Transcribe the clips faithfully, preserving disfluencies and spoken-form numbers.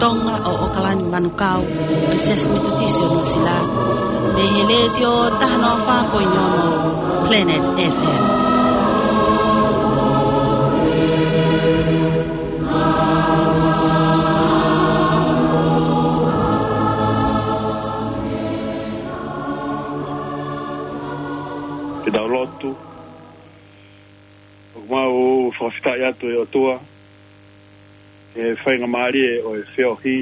Tonga ʻo ʻOkalani Manukau, ʻo e Siasi Metotisi ʻo Nuʻusila, mei he Letiō taha noa fā poini ono Planet F M. Ke tau lotu. ʻOku mau fakafetaʻi atu ʻe ʻOtua, he faingamālie ʻo e feohi,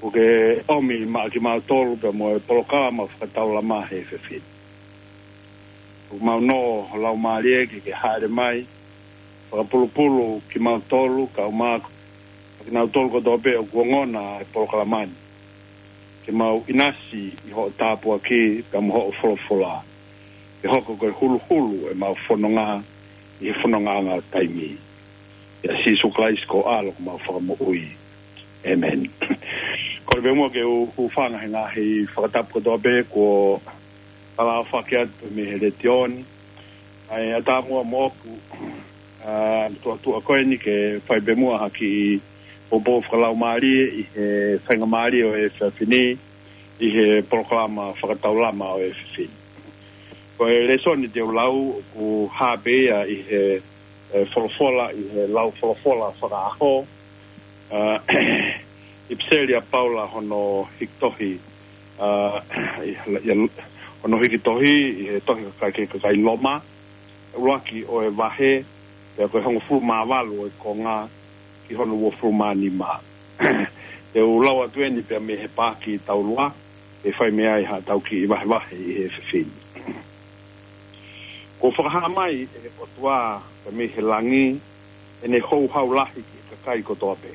ʻoku ke ʻomi maʻa kimautolu pea mo e polokalama fakataulama he efiafi ni. ʻOku mau nō ho Laumālie ke ke hāʻele mai, fakapulupulu kimautolu, kau māku, ʻa kinautolu kotoa pē ʻoku ongona e polokalama ni. Ke mau ʻinasi ʻi hoʻo tāpuaki, pea mo hoʻo folofola. Ke hoko ko e huluhulu ʻemau fononga, ʻi he fonongaʻanga ʻo taimi. ʻIa Sīsū Kalaisi ko ho ʻAlo ko homau Fakamoʻui. ʻĒmeni. Kole pē muʻa ke u hūfanga he ngaahi fakatapu kotoa pē kuo talaʻofa atu mei he Letiō ni. ʻA ia ʻatā muʻa moʻoku, ʻa, tuʻa tuʻa ko eni ke fai pē muʻa ha kiʻi poupou fakalaumālie ʻi he faingamālie ʻo e efiafi ni, ʻi he polokalama fakataulama ʻo e efiafi ni. Ko e lēsoni te u lau, ʻoku hā pē ia ʻi he, e, folofola, ʻi he lau folofola fakaʻaho, ʻa, ʻipiseli ʻa Paula hono hiki tohi, ʻa, ʻi, ʻi, hono hiki tohi, ʻi he tohi ki he kakai, ki he kakai Loma, ʻuluaki ʻo e vahe, pea ko e hongofulu mā valu ʻo e konga, ki hono uofulu mā nima. Te u lau atu eni pea mei he paaki taulua, ʻe fai mei ai haʻatau kiʻi vahevahe ʻi he efiafi ni. Kuo fakahā mai ʻe he ʻOtua pea mei he langi, ʻene houhau lahi ki he kakai kotoa pē.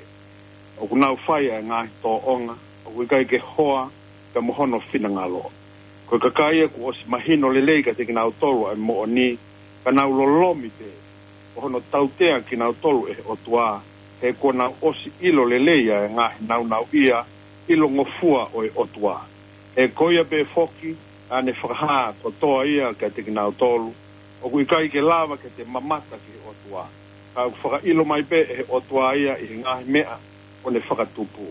ʻOku nau fai ʻa e ngaahi tōʻonga ʻoku ʻikai ke hoa pea mo hono finangalo. Ko e kakai ia kuo ʻosi mahino lelei kiate kinautolu ʻa e moʻoni, ka nau lolomi pē, ko hono tautea kinautolu ʻe he ʻOtua, he kuo nau ʻosi ʻilo lelei ʻa e ngaahi nāunauʻia ʻilongofua ʻo e ʻOtua. He ko ia pē foki, ʻa ʻene fakahā kotoa ia kiate kinautolu, ʻoku ʻikai ke lava ke te mamata ki he ʻOtua. Ka ʻoku fakaʻilo mai pē ʻe he ʻOtua ia ʻi he ngaahi meʻa kuo ne fakatupu.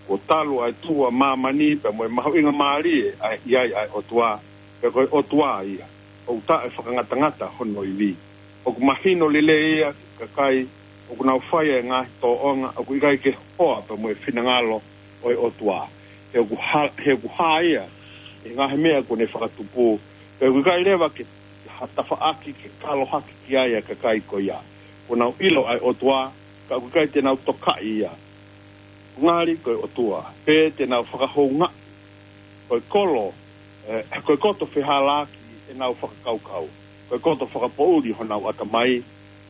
Kuo talu ʻa e tuʻu ʻa māmani pea mo e mahuʻinga mālie ʻa e ʻi ai ʻa e ʻOtua, pea ko e ʻOtua ia, ʻoku taʻefakangatangata hono ivi. ʻOku mahino lelei ia ki he kakai ʻoku nau fai ʻa e ngaahi tōʻonga ʻoku ʻikai ke hoa pea mo e finangalo ʻo e ʻOtua. He ʻoku hā, he ʻoku hā ia ʻi he ngaahi meʻa kuo ne fakatupu, pea ʻoku ʻikai leva ke ha tafaʻaki ke kalohaki ki ai ʻa e kakai ko ia. Kuo nau ʻilo ʻa e ʻOtua, ka ʻoku ʻikai te nau tokaʻi ia. Ngali ko e ʻOtua pē te nau fakahoungaʻi. Ko e kolo, e, ko e koto fehālaaki ʻenau fakakaukau. Ko e koto fakapoʻuli honau ʻatamai.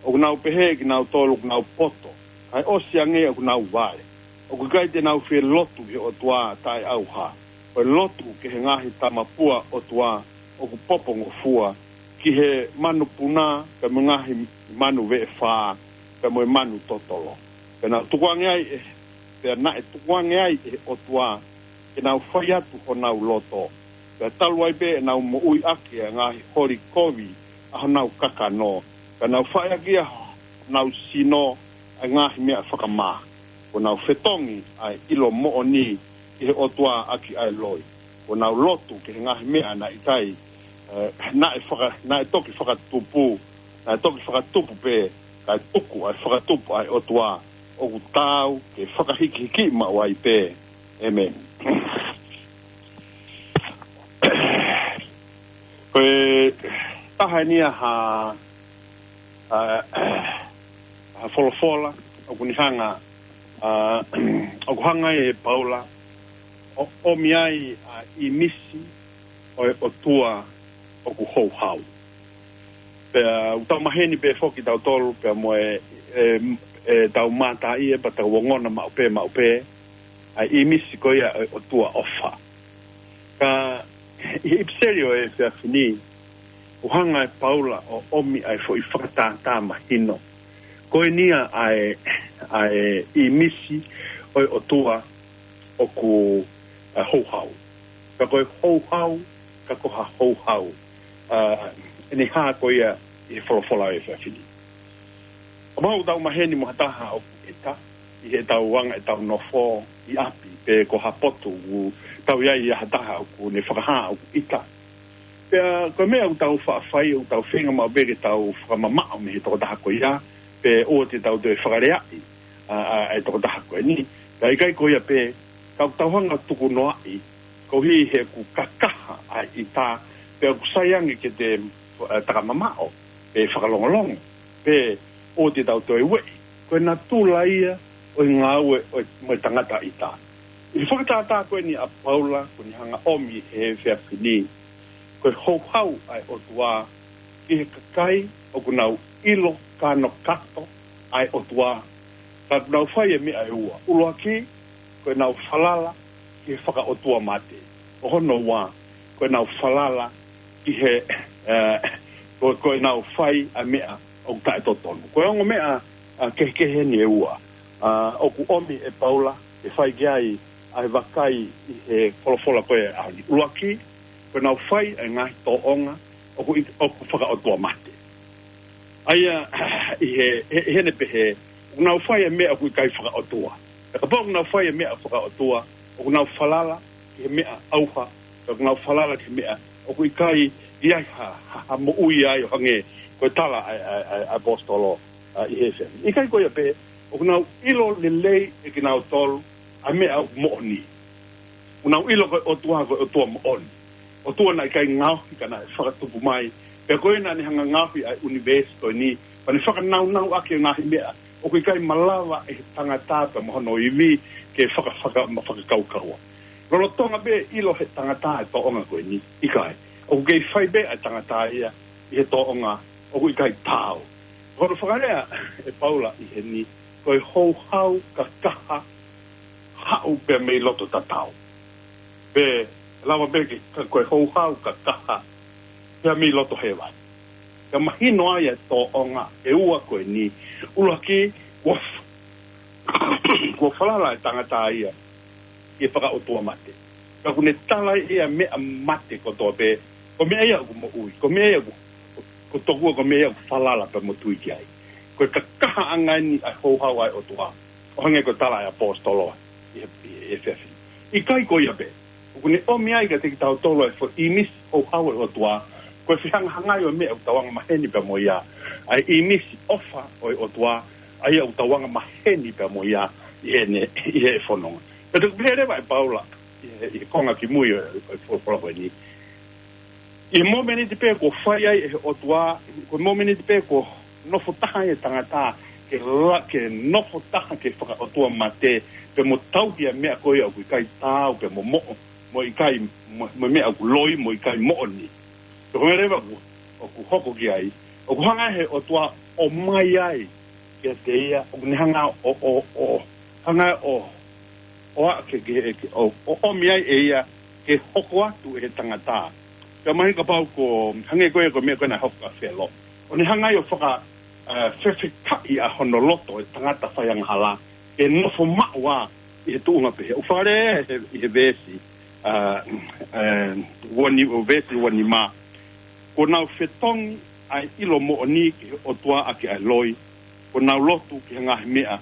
ʻOku nau pehē kinautolu ʻoku nau poto, kae ʻosi ange ʻoku nau vale. ʻOku ʻikai te nau fie lotu ki he ʻOtua taʻeʻauha. Ko e lotu ki he ngaahi tamapua ʻotua ʻoku popongofua, ki he manu puna, pea mo e ngaahi manu veʻefā, pea mo e manu totolo. Pea nau tukuange ai ʻe, pea naʻe tukuange ai ʻe he ʻOtua ke nau fai atu honau loto. Pea talu ai pē ʻenau moʻui ʻaki ʻa e ngaahi holi kovi ʻa honau kakano. Pea nau fai ʻaki ʻa honau sino ʻa e ngaahi meʻa fakamā. Kuo nau fetongi ʻa e ʻilo moʻoni ki he ʻOtua ʻaki ʻa e loi. Kuo nau lotu ki he ngaahi meʻa naʻe ʻikai, e, naʻe faka-, naʻe toki fakatupu, naʻe toki fakatupu pē, kae tuku ʻa e fakatupu ʻa e ʻOtua, ʻoku taau ke fakahikihiki maʻu ai pē. ʻĒmeni. Ko e taha eni ia ha, a, ha folofola, ʻoku ne hanga, a, ʻoku hanga ʻe Paula ʻo ʻomi ai ʻa e ʻīmisi ʻo e ʻOtua ʻoku houhau. Pea ʻoku tau maheni pē foki tautolu, pea mo e, e, e tau mātā ʻi he pea tau ongona maʻu pē, maʻu pē, ʻa e ʻīmisi ko ia ʻo e ʻOtua ʻofa. Ka ʻi he ʻipiseli ʻo e efiafi ni, ʻoku hanga ʻe Paula ʻo ʻomi ʻa e foʻi fakatātā mahino. Ko eni ia ʻa e, ʻa e ʻīmisi ʻo e ʻOtua ʻoku, a, houhau. Ka ko e houhau, ka ko ha houhau, a, ʻene hā ko ia ʻi he folofola ʻo e efiafi ni. ʻOku mau tau maheni mo ha taha ʻoku ʻita, ʻi heʻetau anga ʻetau nofo ʻi ʻapi, pe ko ha potu ʻoku tau ʻi ai ʻa ha taha ʻoku ne fakahā ʻoku ʻita. Pea ko e meʻa ʻoku tau faʻa fai, ʻoku tau feinga maʻu pē ke tau fakamamaʻo mei he tokotaha ko ia, pe ʻoua te tau toe fakaleaʻi ʻa, ʻa, ʻa e tokotaha ko eni. Pea ʻikai ko ia pē, tau, tau hanga tukunoaʻi, koeʻuhi he ʻoku kakaha ʻa e ʻita, pea ʻoku sai ange ke te, ʻa, takamamaʻo, pe fakalongolongo, pe ʻoua te tau toe ueʻi. Ko e natula ia ʻo e ngāue ʻo e, mo e tangata ʻita. ʻI he fakatātā ko eni ʻa Paula, ʻoku ne hanga ʻomi he efiafi ni, ko e houhau ʻa e ʻOtua ki he kakai ʻoku nau ʻilo kānokato ʻa e ʻOtua, ka ʻoku nau fai e meʻa ʻe ua. ʻUluaki, ko ʻenau falala ki he fakaʻotua mate. ʻO hono ua, ko ʻenau falala ki he, ē, ko, ko ʻenau fai ʻa e meʻa ʻoku taʻetotonu. Ko e ongo meʻa, ʻa, kehekehe eni ʻe ua, ʻa, ʻoku ʻomi ʻe Paula ke fai ki ai ʻa e vakai ʻi he folofola ko ē ʻaho ni. ʻUluaki, ko ʻenau fai ʻa e ngaahi tōʻonga ʻoku ʻi, ʻoku fakaʻotua mate. ʻA ia, ʻi he, he, he ne pehē, ʻoku nau fai e meʻa ʻoku ʻikai fakaʻotua. Pea kapau ʻoku nau fai e meʻa fakaʻotua, ʻoku nau falala ki he meʻa ʻauha, pea ʻoku nau falala ki he meʻa ʻoku ʻikai ʻi ai ha, ha, ha moʻui ai ʻo hangē ko e tala ʻa, ʻa, ʻa, ʻa e ʻaposetolo, ʻa, ʻi he efiafi. ʻIkai ko ia pē, ʻoku nau ʻilo lelei ʻe kinautolu ʻa e meʻa ʻoku moʻoni. ʻOku nau ʻilo ko e ʻOtua, ko e ʻOtua moʻoni. ʻOtua naʻe ʻikai ngaohi ka naʻe fakatupu mai. Pea ko ia naʻa ne hanga ngaohi ʻa e ʻunivēsi ko eni, pea ne fakanaunau ʻaki e ngaahi meʻa ʻoku ʻikai malava ʻe he tangata pea mo hono ivi ke faka, faka, ma fakakaukaua. Lolotonga pē ʻilo he tangata e tōʻonga ko eni, ʻikai. ʻOku kei fai pē ʻa e tangata ia ʻi he tōʻonga ʻoku ʻikai taau. Ko hono fakalea ʻe Paula ʻi heni, ko e houhau kakaha haʻu pea mei loto tatau. Pe lava pē ke, ka, ko e houhau kakaha pea mei loto hēvani. Ka mahino ai e tōʻonga ʻe ua ko eni. ʻUluaki, kuo f-, kuo falala e tangata ia ki he fakaʻotua mate. Ka ʻoku ne tala ʻe ia meʻa mate kotoa pē, ko e meʻa ia ʻoku moʻui, ko e meʻa ia ʻoku, ko tokua ko e meʻa ia ʻoku falala pea mo tui ki ai. Ko e kakahaʻanga eni ʻa e houhau ʻa e ʻOtua, ʻo hangē ko e tala ʻa e ʻaposetolo ʻi he, ʻi he efiafi. ʻIkai ko ia pē, ʻoku ne ʻomi ai kiate kitautolu ʻa e foʻi ʻīmisi houhau ʻa e ʻOtua, ko e fehangahangai ʻo e meʻa ʻoku tau anga maheni pea mo ia, ʻa e ʻīmisi ʻofa ʻo e ʻOtua, ʻa ia ʻoku tau anga maheni pea mo ia ʻi heʻene, ʻi he fononga. Pea toki pehē leva ʻe Paula ʻi he, ʻi he konga kimui ʻo, ʻo, ʻo e folofola ko eni. ʻI he momeniti pē kuo fai ai ʻe he ʻOtua, ko e momeniti pē kuo nofo taha ai e tangata ke la, ke nofo taha ki he fakaʻotua mate, pea mo tauhi ʻa e meʻa ko ia ʻoku ʻikai taau, pea mo moʻo, mo ʻikai, mo, mo e meʻa ʻoku loi, mo ʻikai moʻoni. Pea ko e meʻa leva ʻoku, ʻoku hoko ki ai, ʻoku hanga ʻe he ʻOtua ʻo ʻomai ai kiate ia, ʻoku ne hanga ʻo, ʻo, ʻo, hanga ʻo, ʻo aʻu ke, ke, ke, ʻo, ʻo ʻomi ai ʻe ia ke hoko atu ʻe he tangata. Pea mahino kapau ko, hangē ko ia ko e meʻa ko ē naʻe hoko kia Felo. ʻO ne hanga ai ʻo faka, ē, fefekaʻi ʻa hono loto e tangata faiangahala, ke nofo maʻu ʻi he tuʻunga pehē. ʻOku fakalea ʻi he, ʻi he veesi, ē, ē, ua ni, ʻo veesi ua nima. Kuo nau fetongi ʻa e ʻilo moʻoni ki he ʻOtua ʻaki ʻa e loi. Kuo nau lotu ki he ngaahi meʻa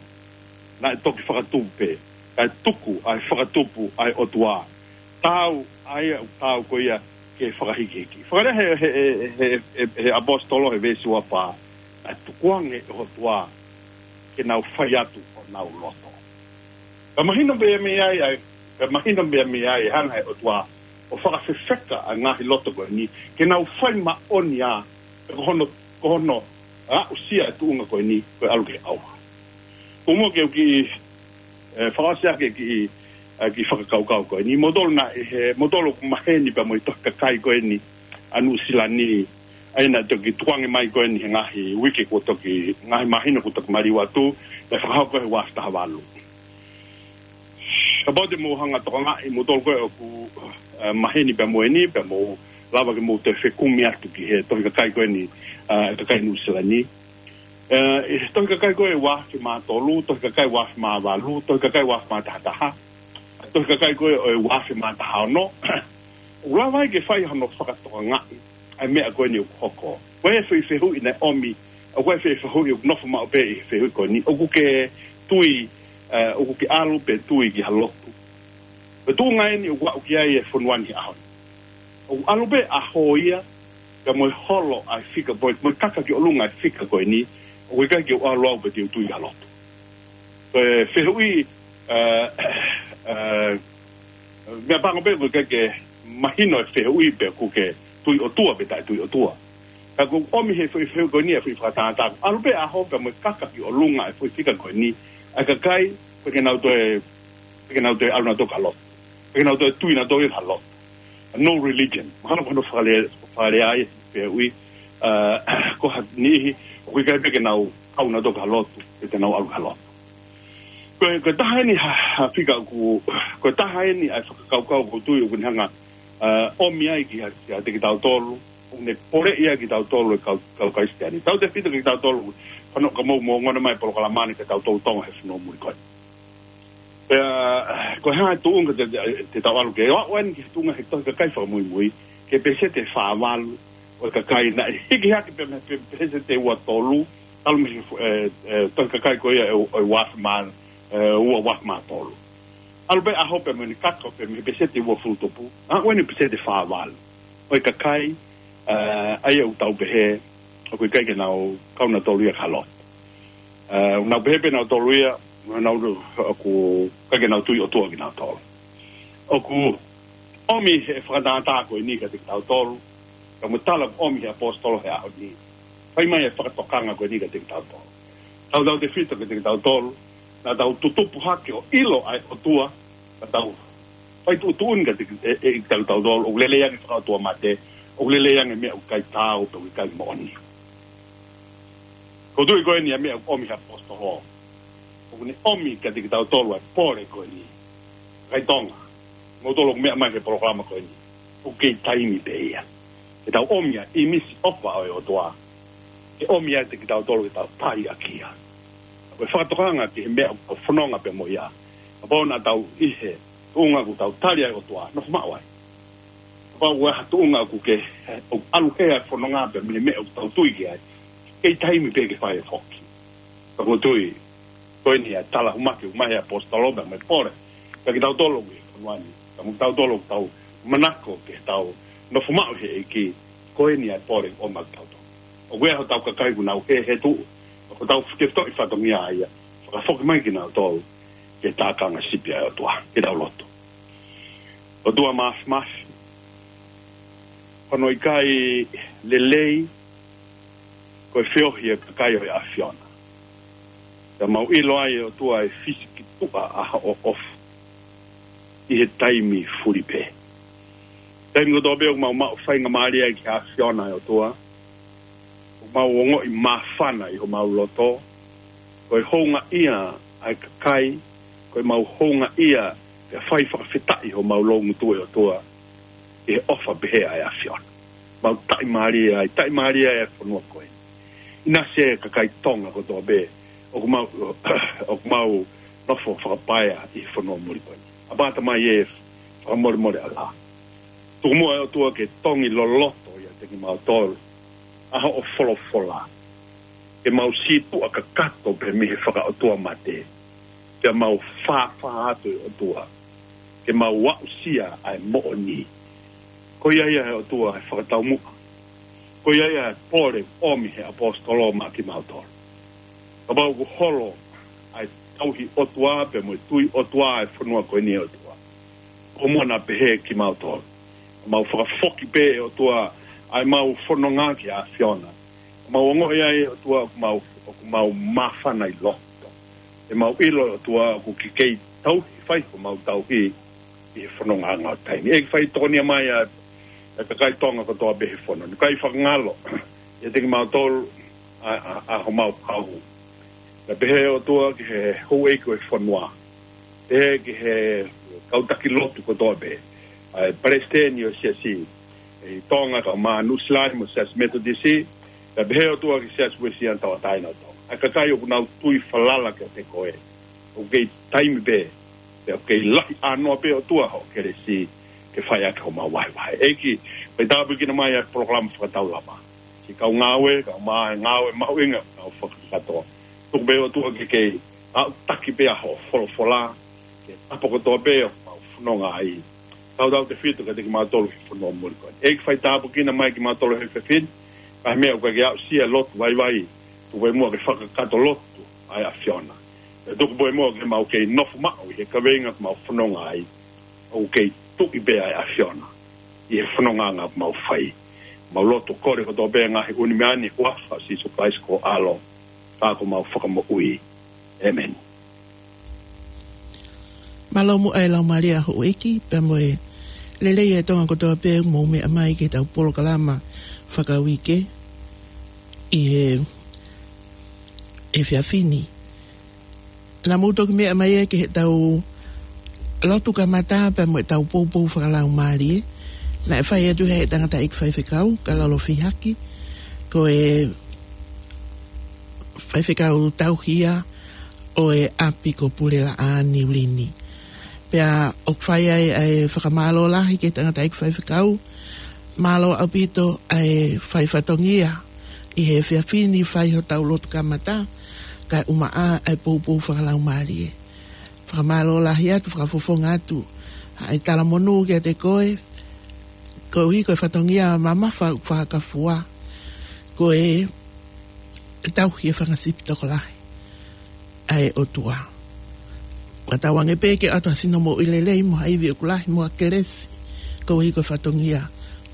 naʻe toki fakatupu pē, kae tuku ʻa e fakatupu ʻa e ʻOtua. Taau, ʻa ia ʻoku taau ko ia ke fakahikihiki. Fakalea he, he, he, he, he, he ʻaposetolo he veesi ua fā, naʻe tukuange ʻe he ʻOtua ke nau fai atu honau loto. Ka mahino pē mei ai, ʻa e, ka mahino pē mei ai e hanga ʻe he ʻOtua ʻo fakafefeka ʻa e ngaahi loto ko eni, ke nau fai moʻoni ā, pe ko hono, ko hono aʻusia e tuʻunga ko eni, ko e ʻalu ki he ʻauha. Ko e meʻa ke u kiʻi, ē, fakaʻosi ʻaki e kiʻi, ē, kiʻi fakakaukau ko eni. Moutolu naʻe, he, moutolu ʻoku maheni pea mo e tohi kakai ko eni ʻa Nuʻusila ni, ʻa ia naʻe toki tukuange mai ko eni he ngaahi uike kuo toki, ngaahi māhina kuo toki maliu atu, naʻe fakahoko he ua afe taha valu. Kapau te mou hanga tokangaʻi, moutolu ko ē ʻoku, ē, maheni pea mo eni, pea mou lava ke mou toe fekumi atu ki he tohi kakai ko eni, ē, kakai Nuʻusila ni. Ē, ʻi he tohi kakai ko ē ua afe mā tolu, tohi kakai ua afe mā valu, tohi kakai ua afe mā taha taha, tohi kakai ko ē ʻo e ua afe mā taha ono. ʻOku lava ai ke fai hono fakatokangaʻi ʻa e meʻa ko eni ʻoku hoko. Ko e foʻi fehuʻi naʻe ʻomi, ʻa ko e foʻi fehuʻi ʻoku nofo maʻu pē ʻi he fehuʻi ko eni. ʻOku ke tui, ʻoku ke ʻalu pē tui ki ha lotu. Ko e tuʻunga eni ʻoku aʻu ki ai e fonua ni he ʻaho ni. ʻOku ʻalu pē ʻaho ia, ka mo e holo ʻa e fika, mo e, mo e kaka ki ʻolunga e fika ko eni, ʻoku ʻikai ke u ʻalu au pē te u tui ki ha lotu. Ko e fehuʻi, ē, ē, meʻapango pē ʻoku ʻikai ke mahino e fehuʻi pe ʻoku ke tui ʻOtua pe taʻe tui ʻOtua. Ka ʻoku ʻomi he foʻi fehuʻi ko eni e foʻi fakatātā. ʻAlu pē ʻaho pea mo e kaka ki ʻolunga e foʻi fika ko eni, ʻa e kakai, pe ke nau toe, pe ke nau toe ʻalu nautolu ki ha lotu. Pe ke nau toe tui nautolu ki ha lotu. No religion. Mahalo ko hono fakale-, fakalea ai e fehuʻi, ē, ko ha niʻihi, ʻoku ʻikai pē ke nau kau nautolu ki ha lotu, pe te nau ʻalu ki ha lotu. Ko e, ko e taha eni ha, ha fika ʻoku, ko e taha eni ʻa e fakakaukau ʻoku ou tui ʻoku ne hanga, ē, ʻomi ai ki ha, ki ha, kiate kitautolu, ʻoku ne poleʻi ai kitautolu e kau, kau Kalisitiane. Tautefito kiate kitautolu, hono ka mou, mou ongona mai e polokalama ni kiate kitautolu Tonga he fonua muli ko eni. Pea, ko e hā e tuʻunga te, te, te tau ʻalu ki ai? ʻOku ʻomi ki he tuʻunga he tohi kakai fakamuimui, ki he pēseti ʻe fā valu ʻo e kakai naʻe hiki hake pē mei he pē, pēseti ʻe ua tolu, ʻalu mei he, ē, ē, tohi kakai ko ia ʻe, ʻe ua afe mā, ē, ua, ua afe mā tolu. ʻAlu pē ʻaho pea mo ʻene kaka pē mei he pēseti ʻe ua fulu tupu. ʻA, ʻoku ʻi ai e pēseti ʻe fā valu ʻo e kakai, ē, ʻa ia ʻoku tau pehē, ʻoku ʻikai ke nau kau nautolu ia ki ha lotu. Ē, ʻoku nau pehē pē nautolu ia, nau, ʻoku ʻikai ke nau tui ʻOtua kinautolu. ʻOku ʻomi he fakatātā ko eni kiate kitautolu, ka mo e tala ʻomi he ʻaposetolo he ʻaho ni. Fai mai e fakatokanga ko eni kiate kitautolu. Tautautefito kiate kitautolu, naʻa tau tutupu hake ʻo ʻilo ʻa e ʻOtua, ka tau fai tuʻutuʻuni kiate, ē, ē, kitautolu, ʻoku lelei ange fakaʻotuamate, ʻoku lelei ange meʻa ʻoku ʻikai taau, pe ʻoku ʻikai moʻoni. Ko e tuʻi ko eni ʻa e meʻa ʻoku ʻomi he ʻaposetolo. ʻOku ne ʻomi kiate kitautolu ʻa e pole ko eni. Kakai Tonga, moutolu ʻoku meʻa mai he polokalama ko eni. ʻOku kei taimi pē ia. Ke tau ʻomi ʻa e ʻīmisi ʻofa ʻo e ʻOtua. Ke ʻomi ʻiate kitautolu ke tau tali ʻaki ia. Ko e fakatokanga ki he meʻa ʻoku tau fononga pē mo ia. Kapau naʻa tau ʻi he tuʻunga ʻoku tau tali ai e ʻOtua, nofo maʻu ai. Kapau ʻoku ʻi ai ha tuʻunga ʻoku ke, ʻoku ʻalu hē ʻa e fononga pē mei he meʻa ʻoku tau tui ki ai, kei taimi pē ke fai e foki. Ka ʻoku ou tui, ko eni ʻa e tala humaki ʻoku ʻomai he ʻaposetolo pea mo e pole. Pea kitautolu ʻi he fonua ni, ka mo kitautolu ʻoku tau manako ke tau nofo maʻu he ʻEiki, ko eni ʻa e pole ʻoku ʻomai kiate kitautolu. ʻOku ʻi ai hotau kakai ʻoku nau hē he tuʻu, ʻoku tau fike toʻi fatongia ia, fakafoki mai kinautolu ki he tākanga sipi ʻa e ʻOtua, ke tau lotu. ʻOtua Māfimafi, ko hono ʻikai lelei, ko e feohi e kakai ʻo e ʻAfiona. Pea mau ʻilo ai ʻe ʻOtua e fisi ki tuʻa ʻa hoʻo ʻofa ʻi he taimi fuli pē. Taimi kotoa pē ʻoku mau maʻu faingamālie ai ki he ʻAfiona ʻe ʻOtua, ʻoku mau ongoʻi māfana ʻi homau loto, ko e houngaʻia ʻa e kakai, ko ʻemau houngaʻia, pea fai fakafetaʻi homau loungutu ʻe ʻOtua, ʻi he ʻofa pehē ʻa e ʻAfiona. Mau taʻimālie ai, taʻimālie ai e fonua ko ē. ʻInasi e kakai Tonga kotoa pē, ʻoku mau, ʻoku mau nofo fakapaea ʻi he fonua muli ko ē. ʻApā Tamai ē, fakamolemole ʻalā. Tuku muʻa ʻe ʻOtua ke tongi loloto ʻiate kimautolu ʻa hoʻo folofola. Ke mau sītuʻa kakato pē mei he fakaʻotuamate. Pea mau fāfā atu ʻe ʻOtua. Ke mau aʻusia ʻa e moʻoni. Ko ia ia ʻe ʻOtua e fakataumuʻa. Ko ia ia e pole ʻomi he ʻaposetolo maʻa kimautolu. Kapau ʻoku holo ʻa e tauhi ʻOtua pea mo e tui ʻOtua e fonua ko eni ʻe ʻOtua. Ko e moʻoni pē ʻe kimautolu. Mau fakafoki pē ʻe ʻOtua ʻa ʻemau fononga ki he ʻAfiona. Mau ongoʻi ai ʻe ʻOtua ʻoku mau, ʻoku mau māfana ʻi loto. ʻE mau ʻilo ʻe ʻOtua ʻoku ke kei tauhi fai ko mau tauhi ʻi he fononga ʻo e taimi. ʻEiki fai tokonia mai ʻa, ʻa e kakai Tonga kotoa pē he fonua ni. Kai fakangalo, ʻiate kimautolu ʻa, ʻa, ʻa homau kau. Pea pehē ʻe ʻOtua ki he houʻeiki ʻo e fonua. Pehē ki he kau taki lotu kotoa pē. ʻA e palesiteni ʻo e siasi ʻi Tonga kae ʻumaʻā Nuʻusila ni mo e Siasi Metotisi. Pea pehē ʻe ʻOtua ki he Siasi Uēsiliana Tauʻatāina ʻo Tonga. ʻA e kakai ʻoku nau tui falala kiate koe. ʻOku kei taimi pē, pea ʻoku kei lahi ʻānoa pē ʻOtua hoʻo kelesi ke fai ʻaki homau vahevahe. ʻEiki, fai tāpuekina mai ʻa e polokalama fakataulama. Siʻi kau ngāue, kau mai ngāue mahuʻinga, kau fakakatoa. Tuku pē ʻOtua ke kei ʻAʻu taki pē ʻa hoʻo folofola ki he tapa kotoa pē ʻoku mau fononga ai. Tautautefito kiate kimautolu he fonua muli ko eni. ʻEiki, fai tāpuekina mai kimautolu he efiafi ni, ʻa e meʻa ʻoku ʻikai ke aʻusia e lotu vaivai, tuku pē muʻa ke fakakakato lotu ʻa e ʻAfiona. Pea tuku pē muʻa ke mau kei nofo maʻu ʻi he kaveinga ʻoku mau fononga ai, ʻoku kei tuʻi pē ʻa e ʻAfiona ʻi he fonongaʻanga ʻoku mau fai. Mau lotu kole kotoa pē ngaahi ʻū meʻa ni ʻi he huafa ʻo Sīsū Kalaisi ko ho ʻAlo, ka ko homau Fakamoʻui. ʻĒmeni. Mālō muʻa e Laumālie ʻa houʻeiki, pea mo e lelei e Tonga kotoa pē ʻoku mou meʻa mai ki heʻetau polokalama fakauike ʻi he efiafi ni. Naʻa mou toki meʻa mai ia ki heʻetau lotu kamata pea mo ʻetau poupou fakalaumālie. Naʻe fai atu ʻe he tangataʻeiki faifekau, Kalolo Fihaki, ko e faifekau tauhi ia ʻo e ʻapi ko Pulelaʻā Niulini. Pea ʻoku fai ai ʻa e fakamālō lahi ki he tangataʻeiki faifekau, mālō ʻaupito ʻa e fai fatongia ʻi he efiafi ni, fai hotau lotu kamata, kae ʻumaʻā ʻa e poupou fakalaumālie. Fakamālō lahi atu, fakafofonga atu ʻa e talamonū kiate koe, koeʻuhi ko e fatongia mamafa ʻoku fakafua, ko e tauhi e fanga sipi tokolahi ʻa e ʻOtua. Ka tauange pē ke ʻoatu ha sino moʻui lelei mo ha ivi ʻoku lahi mo ha kelesi, koeʻuhi ko e fatongia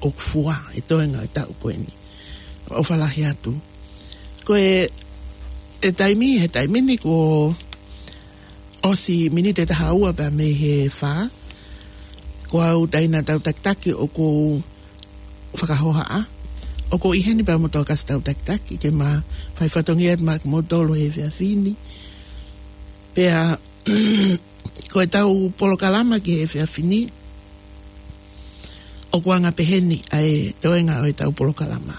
ʻoku fua he toenga ʻo e taʻu ko eni. ʻOfa lahi atu. Ko e, e taimi, he taimi ni kuo ʻosi miniti ʻe taha ua pea mei he fā. Ko au, Taina Tautakitaki, ʻoku ou fakahohaʻa. ʻOku ou ʻi heni pea mo Tokasi Tautakitaki, ke ma fai fatongia atu maʻa kimoutolu he efiafi ni. Pea ko ʻetau polokalama ki he efiafi ni, ʻoku anga peheni ʻa e toenga ʻo ʻetau polokalama.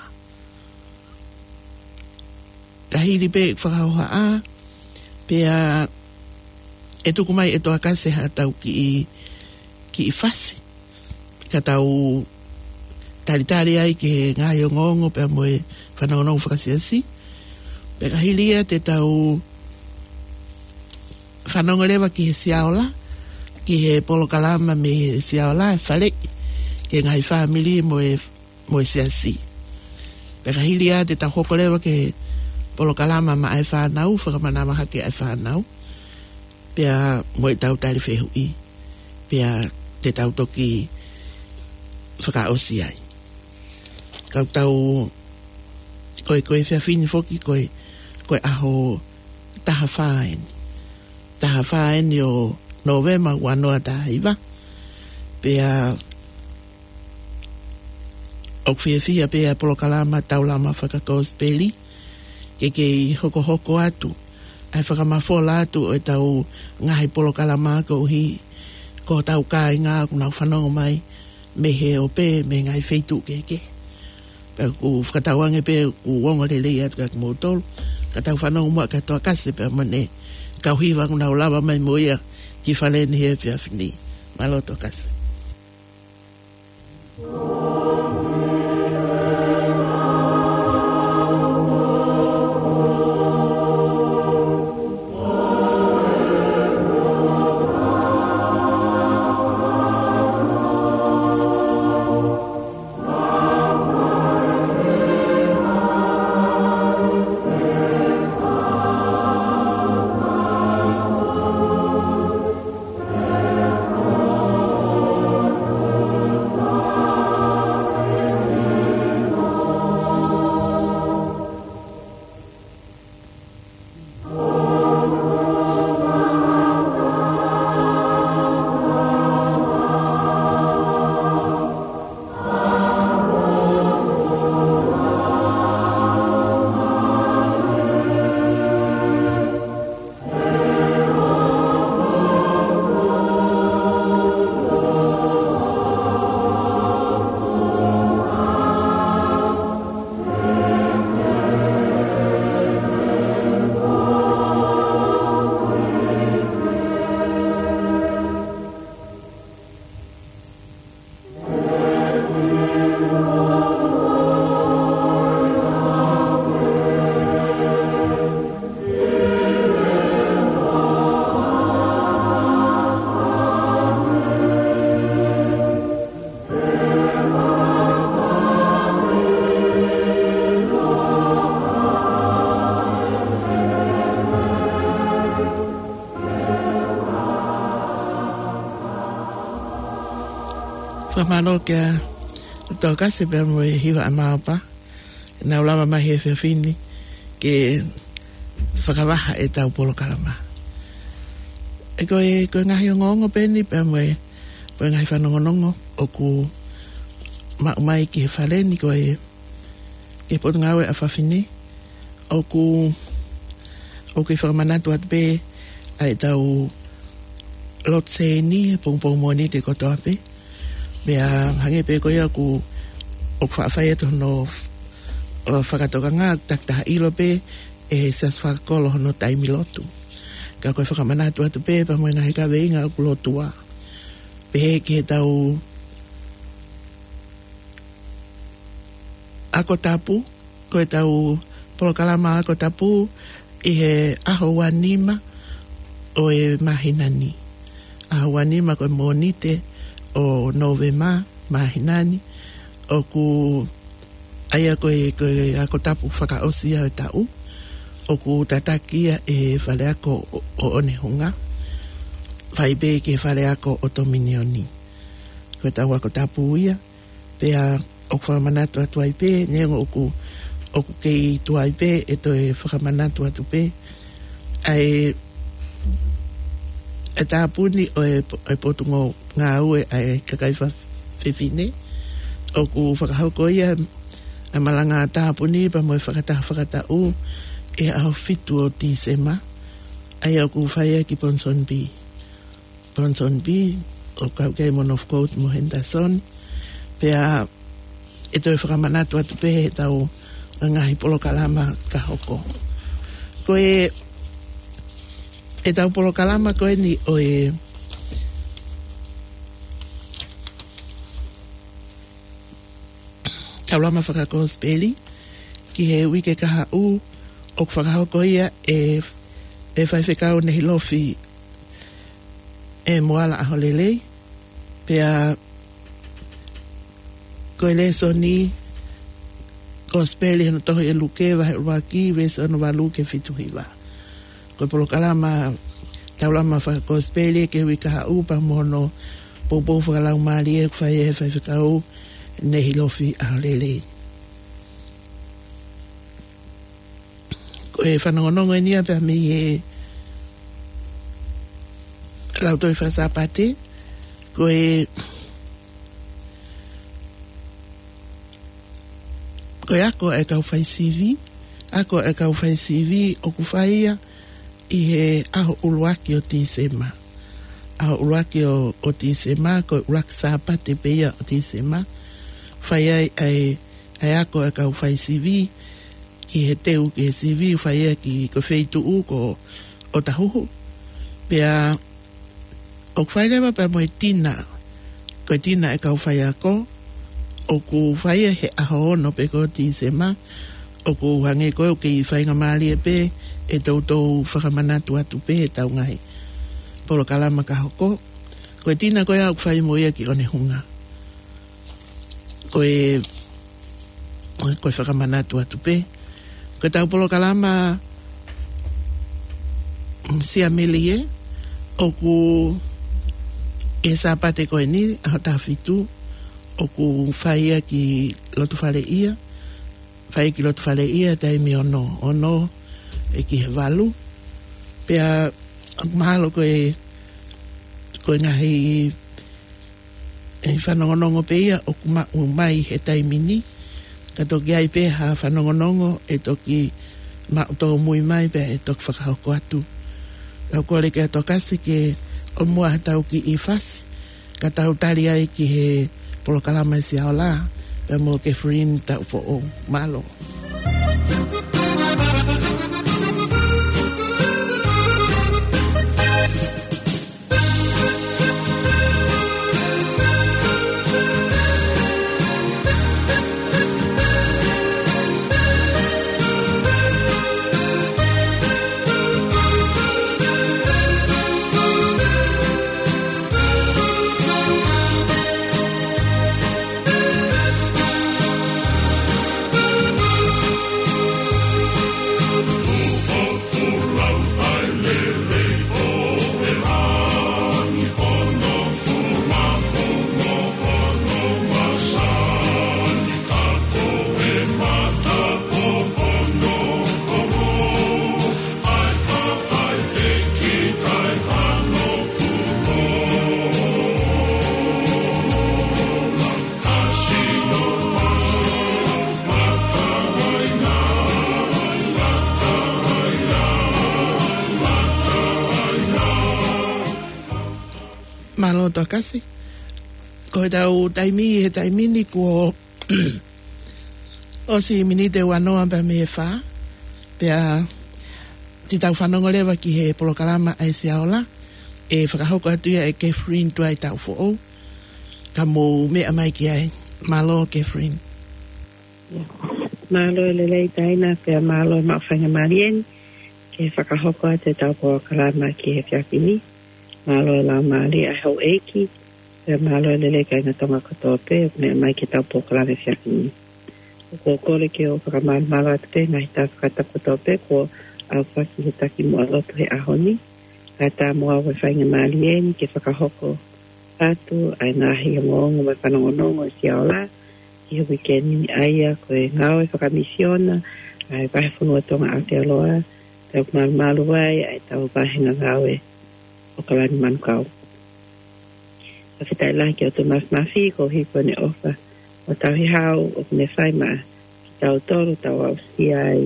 Ka hili pē fakahohaʻa, pea ʻe tuku mai ʻe Tokasi haʻatau kiʻi, kiʻi fasi, ka tau talitali ai ki he ngaahi ongoongo pea mo e fanongonongo fakasiasi. Pea ka hili ia te tau fanongo leva ki he Siaola, ki he polokalama mei he Siaola, e faleʻi ki he ngaahi fāmili mo e, mo e siasi. Pea ka hili ia te tau hoko leva ki he polokalama maʻa e fānau, fakamanava hake ʻa e fānau, pea mo ʻetau tali fehuʻi, pea te tau toki fakaʻosi ai. Ka tau, ko e, ko e efiafi ni foki, ko e, ko e ʻaho taha fā eni. Taha fā eni ʻo Nōvema ua noa taha hiva. Pea ʻoku fiefia pē ʻa e polokalama Taulama Fakakosipeli ke kei hokohoko atu ʻa e fakamafola atu ʻo ʻetau ngaahi polokalama koeʻuhi ko hotau kāinga ʻoku nau fanongo mai mei he ope, mei he ngaahi feituʻu kehekehe. Pea ʻoku fakatauange pē ʻoku ongo lelei atu kiate kimoutolu. Ka tau fanongo muʻa kia Tokasi pea mo ʻene kau hiva ʻoku nau lava mai mo ia ki fale ni he efiafi ni. Mālō Tokasi. Fakamālō kia Tokasi pea mo e hiva ʻa Maopa. Nau lava mai he efiafi ni ke fakavaha ʻetau polokalama. ʻE ko e, ko e ngaahi ongoongo pē eni pea mo e, mo e ngaahi fanongonongo ʻoku maʻu mai ki he fale ni ko e, ki he Potungāue ʻa Fafine. ʻOku, ʻoku fakamanatu atu pē ʻa ʻetau lotu sēni he pongipongi Mōnite kotoa pē. Pea hangē pē ko ia ʻoku, ʻoku faʻa fai atu hono, ʻo, fakatokanga, takitaha ʻilo pē ʻe he siasi fakakolo hono taimi lotu. Ka ko e fakamanatu atu pē pea mo e ngaahi kaveinga ʻoku lotua. Pehē ki heʻetau ako tapu, ko ʻetau polokalama ako tapu ʻi he ʻaho ua nima ʻo e māhina ni. ʻAho ua nima ko e Mōnite ʻo Nōvema māhina ni. ʻOku ʻa ia ko e, ko e ako tapu fakaʻosi ia ʻo e taʻu. ʻOku tataki ia ʻe he fale ako ʻo, ʻo ʻOnehunga. Fai pē ki he fale ako ʻo Tominioni. Ko ʻetau ako tapu ia. Pea ʻoku fakamanatu atu ai pē, neongo ʻoku, ʻoku kei tuai pē, ʻe toe fakamanatu atu pē ʻa e, e tāpuni ʻo e, ʻo e Potungāue ʻa e kakai fa-, fefine. ʻOku fakahoko ia ʻa e malanga tāpuni pea mo e fakataha fakataʻu ʻi he ʻaho fitu ʻo Tīsema. ʻA ia ʻoku fai ia ki Ponsonby. Ponsonby, ʻo kau ki ai mo Northcote mo Henderson. Pea ʻe toe fakamanatu atu pē heʻetau ngaahi polokalama ka hoko. Ko e, ʻetau polokalama ko eni ʻo e Taulama Fakakosipeli, ki he uike kahaʻu, ʻoku fakahoko ia ʻe, ʻe Faifekau Nehilofi ʻe Moala ʻAholelei, pea ko e lēsoni Kosipeli hono tohi ʻe Luke vahe ʻuluaki, veesi ono valu ki he fitu hiva. Ko e polokalama Taulama Fakakosipeli ki he uike kahaʻu pea mo hono poupou fakalaumālie ʻoku fai ʻe he Faifekau Nehilofi ʻAholelei. Ko e fanongonongo eni ia pea mei he Lautohi Faka-Sāpate, ko e, ko e ako ʻa e kau fai sivi, ako ʻa e kau fai sivi ʻoku fai ia ʻi he ʻaho ʻuluaki ʻo Tīsema. ʻAho ʻuluaki ʻo, ʻo Tīsema, ko e ʻuluaki Sāpate pē ia ʻo Tīsema. Fai ai ʻa e, ʻa e ako ʻa e kau fai sivi, ki he teu ki he sivi, fai ia ki ko e feituʻu ko ʻOtahuhu. Pea ʻoku fai leva pea mo e tina, ko e tina ʻa e kau faiako, ʻoku fai ia he ʻaho ono pē ko Tīsema, ʻoku hangē ko ē ʻoku kei faingamālie pē ʻe toutou fakamanatu atu pē ʻetau ngaahi polokalama ka hoko. Ko e tina ko ia ʻoku fai mo ia ki ʻOnehunga. Ko e, ko e fakamanatu atu pē. Ko ʻetau polokalama, mm, Siamelie, ʻoku ʻi he Sāpate ko eni, ʻaho taha fitu, ʻoku fai ia ki Lotofaleʻia, fai ki Lotofaleʻia taimi ono, ono ʻo ki he valu. Pea ʻoku mahalo ko e, ko e ngaahi ʻe fanongonongo pē ia ʻoku maʻu mai he taimi ni. Ka toki ʻi ai pē ha fanongonongo ʻe toki maʻu tōmui mai pea ʻe toki fakahoko atu. Kau kole kia Tokasi ke ʻomai ha tau kiʻi fasi ka tau tali ai ki he polokalama ʻa e Siaola pea mo Catherine Taufoʻou. Mālō. Mālō Tokasi. Ko ʻetau taimi he taimi ni kuo ʻosi miniti ʻe uanoa pea mei he fā. Pea te tau fanongo leva ki he polokalama ʻa e Siaola. ʻE fakahoko atu ia ʻe Catherine Tuaitaufoʻou. Ka mou meʻa mai ki ai. Mālō Catherine. Mālō e lelei Taina, pea mālō e maʻu faingamālie ni ke fakahoko atu ʻetau polokalama ki he efiafi ni. Mālō e laumālie ʻa e houʻeiki, pea mālō e lelei kāinga Tonga kotoa pē ʻoku meʻa mai ki heʻetau polokalama he efiafi ni. ʻOku ou kole ke u fakamalumalu atu pē ngaahi taha fakatapu kotoa pē kuo aofaki he taki muʻa lotu he ʻaho ni. Kae ʻatā mo au e faingamālie ni ke fakahoko atu ʻa e ngaahi ongoongo mo e fanongonongo ʻa e Siaola ki he uike ni, ʻa ia ko e ngāue fakamisiona ʻa e Vahefonua Tonga Aotearoa, pea ʻoku malumalu ai ʻa ʻetau vāhenga ngāue ʻOkalani Manukau. Fakafetaʻi lahi ki he ʻOtua Māfimafi koeʻuhi ko ʻene ʻofa mo e tauhi hau ʻoku ne fai maʻa kitautolu, tau aʻusia ai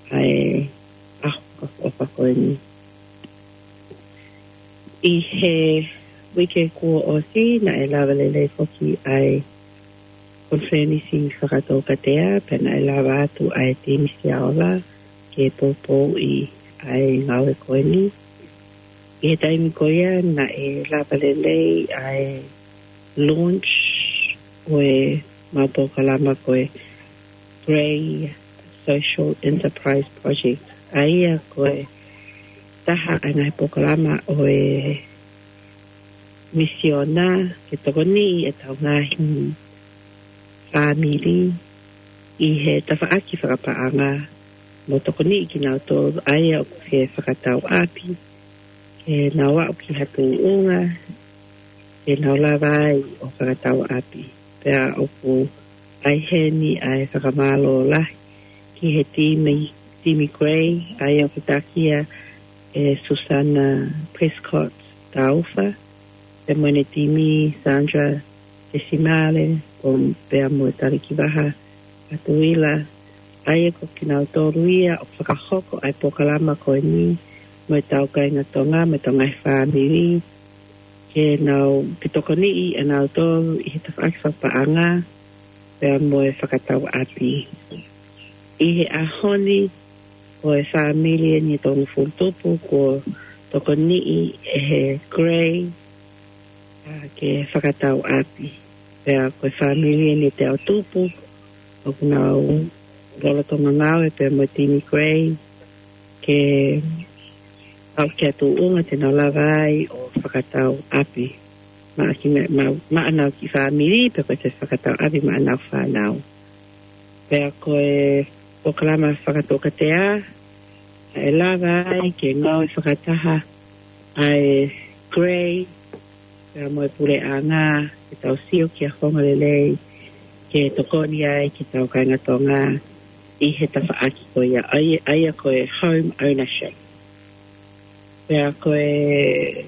ʻa e ʻaho fakaʻofoʻofa ko eni. ʻI he uike kuo ʻosi, naʻe lava lelei foki ʻa e konifelenisi fakatoukatea, pea naʻe lava atu ʻa e timi Siaola ke poupouʻi ʻa e ngāue ko eni. ʻI he taimi ko ia, naʻe lava lelei ʻa e launch ʻo e mau polokalama ko e Grey Social Enterprise Project, ʻa ia ko e taha ʻa e ngaahi polokalama ʻo e misiona ke tokoniʻi ʻetau ngaahi fāmili ʻi he tafaʻaki fakapaʻanga, mo tokoniʻi kinautolu ʻa ia ʻoku fie fakatau ʻapi, ke nau aʻu ki ha tuʻunga ke nau lava ai ʻo fakatau ʻapi. Pea ʻoku ʻi heni ʻa e fakamālō lahi ki he timi, timi Grey, ʻa ia ʻoku takia ʻe Susana Prescott Taufa, pea mo ʻene timi, Sandra Desimale, ko pea mo Talikivaha Atuila, ʻa ia ko kinautolu ia ʻoku fakahoko ʻa e polokalama ko eni mo ʻetau kāinga Tonga, mo ʻetau ngaahi fāmili, ke nau, ke tokoniʻi ʻa nautolu ʻi he tafaʻaki fakapaʻanga, pea mo e fakatau ʻapi. ʻI he ʻaho ni, ko e fāmili eni ʻe tolungofulu tupu kuo tokoniʻi ʻe he Grey, ʻa, ke fakatau ʻapi. Pea ko e fāmili eni ʻe teau tupu ʻoku nau lolotonga ngāue pea mo e timi Grey ke aʻu ki ha tuʻunga te nau lava ai ʻo fakatau ʻapi maʻa ki, maʻa, maʻa ʻenau kiʻi fāmili, pea ko e fakatau ʻapi maʻa ʻenau fānau. Pea ko e polokalama fakatoukatea, ʻe lava ai ke ngāue fakataha ʻa e Grey pea mo e puleʻanga, ke tau sio ki ha founga lelei ke tokoni ai ki heʻetau kāinga Tonga ʻi he tafaʻaki ko ia, ʻa ia, ʻa ia ko e home ownership. Pea ko e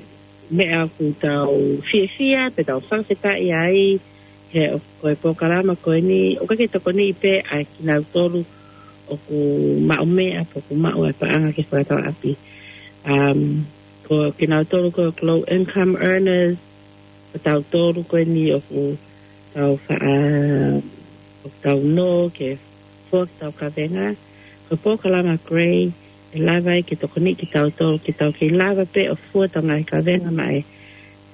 meʻa ʻoku tau fiefia, pea tau fakafetaʻi ai, he ʻoku, ko e polokalama ko eni, ʻoku ʻikai ke tokoniʻi pē ʻa kinautolu ʻoku maʻu meʻa, pe ʻoku maʻu ʻa e paʻanga ke fakatau ʻapi. Um, ko kinautolu ko e low income earners, ko tautolu ko eni ʻoku tau fa-, ʻoku tau nō ke fua ki heʻetau kavenga. Ko e polokalama Grey, ʻe lava ai ke tokoniʻi kitautolu, ke tau kei lava pē ʻo fua ʻetau ngaahi kavenga maʻa e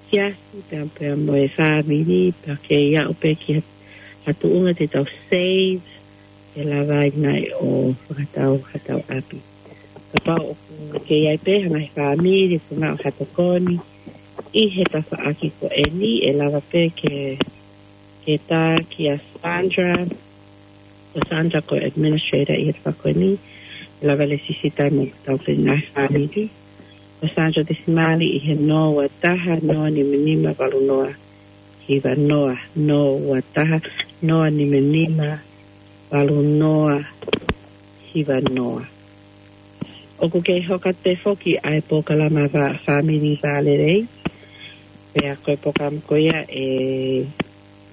siasi, pea, pea mo e fāmili, pea kei aʻu pē ki ha, ha tuʻunga te tau save, ʻe lava ai nai ʻo fakatau haʻatau ʻapi. Kapau ʻoku kei ʻi ai pē ha ngaahi fāmili ʻoku nau ʻoatu ha tokoni ʻi he tafaʻaki ko eni, ʻe lava pē ke, ke tā kia Sandra, ko Sandra ko e administrator ʻi he tafaʻaki ko eni, ʻe lava leva ke sisitā mo ʻetau ngaahi fāmili. Ko Sandra Desimale ʻi he noa ua taha, noa nima nima, valu noa hiva noa, noa ua taha, noa nima nima, valu noa hiva noa. ʻOku kei hoko atu foki ʻa e polokalama va-, fāmili vālelei. Pea ko e polokalama ko ia ʻe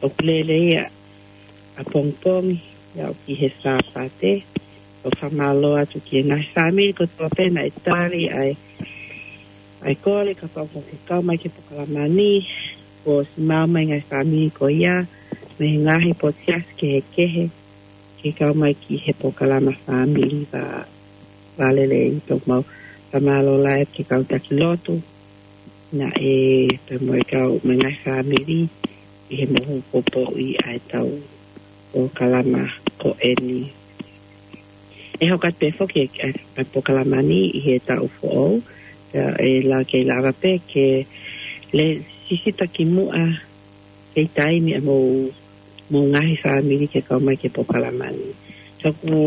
ʻoku lele ia ʻapongipongi, ʻo aʻu ki he Sāpate. ʻOku fakamālō atu ki he ngaahi fāmili kotoa pē naʻe tali ʻa e ʻA e kole kapau ʻoku ke kau mai ki he polokalama ni, kuo ʻosi maʻu mai e ngaahi fāmili ko ia mei he ngaahi potu siasi kehekehe ke kau mai ki he polokalama fāmili vā, vā lelei. Pea ʻoku mau fakamālō lahi atu ki he kau taki lotu naʻe pehē mo e kau mo e ngaahi fāmili ʻi he mohu poupouʻi ʻa e tau polokalama ko eni. ʻE hoko atu pē foki e, e, e polokalama ni ʻi he taʻu foʻou, ʻe, ʻe la-, ke lava pē ke lēsisita ki muʻa kei taimi ʻa e mou, mou ngaahi fāmili ke kau mai ki he polokalama ni. Ka ʻoku,